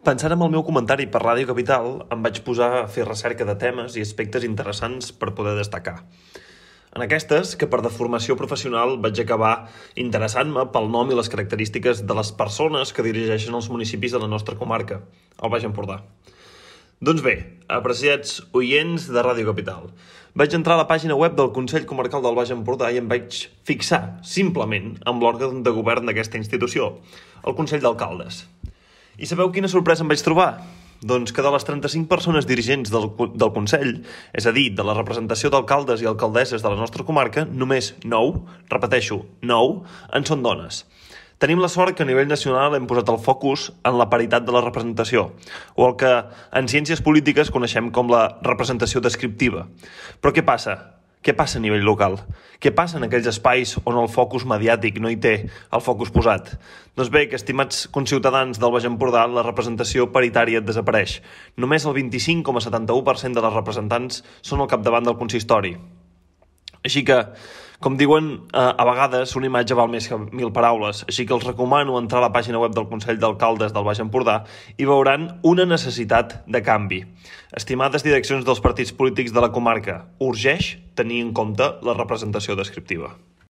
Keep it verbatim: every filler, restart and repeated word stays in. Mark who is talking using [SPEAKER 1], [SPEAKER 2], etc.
[SPEAKER 1] Pensant en el meu comentari per Ràdio Capital, em vaig posar a fer recerca de temes i aspectes interessants per poder destacar. En aquestes, que per deformació professional vaig acabar interessant-me pel nom i les característiques de les persones que dirigeixen els municipis de la nostra comarca, el Baix Empordà. Doncs bé, apreciats oients de Ràdio Capital, vaig entrar a la pàgina web del Consell Comarcal del Baix Empordà i em vaig fixar, simplement, amb l'òrgan de govern d'aquesta institució, el Consell d'Alcaldes. I sabeu quina sorpresa em vaig trobar? Doncs que de les trenta-cinc persones dirigents del, del Consell, és a dir, de la representació d'alcaldes i alcaldesses de la nostra comarca, només nou, repeteixo, nou, en són dones. Tenim la sort que a nivell nacional hem posat el focus en la paritat de la representació, o el que en ciències polítiques coneixem com la representació descriptiva. Però què passa? Què passa a nivell local? Què passa en aquells espais on el focus mediàtic no hi té el focus posat? Doncs bé, que estimats conciutadans del Baix Empordà, la representació paritària desapareix. Només el vint-i-cinc coma setanta-u per cent de les representants són al capdavant del consistori. Així que, com diuen, a vegades una imatge val més que mil paraules, així que els recomano entrar a la pàgina web del Consell d'Alcaldes del Baix Empordà i veuran una necessitat de canvi. Estimades direccions dels partits polítics de la comarca, urgeix tenir en compte la representació descriptiva.